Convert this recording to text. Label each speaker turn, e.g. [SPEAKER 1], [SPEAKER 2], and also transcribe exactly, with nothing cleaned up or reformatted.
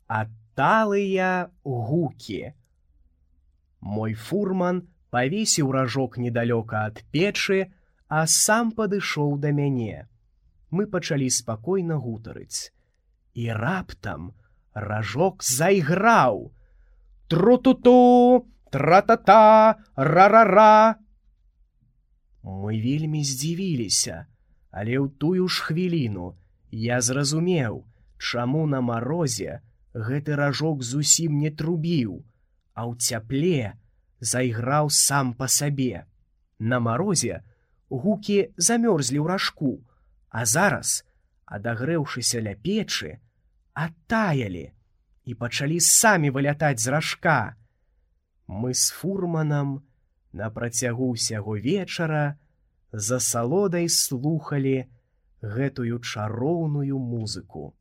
[SPEAKER 1] адталыя гукі. Мой фурман павесіў ражок недалёка ад печы, а сам падышоў да мяне. Мы пачалі спакойна гутарыць. І раптам ражок зайграў. Тру-ту-ту, тра-та-та, ра-ра-ра. Мы вельмі здзівіліся, але ў тую ж хвіліну я зразумеў, чаму на марозе гэты ражок зусім не трубіў, а ў цяпле зайграў сам па сабе. На марозе гукі замёрзлі ў ражку, а зараз, адагрэўшыся ля печы, адтаялі і пачалі самі вылятаць з ражка. Мы з фурманам на працягу ўсяго вечара з асалодай слухалі гэтую чароўную музыку.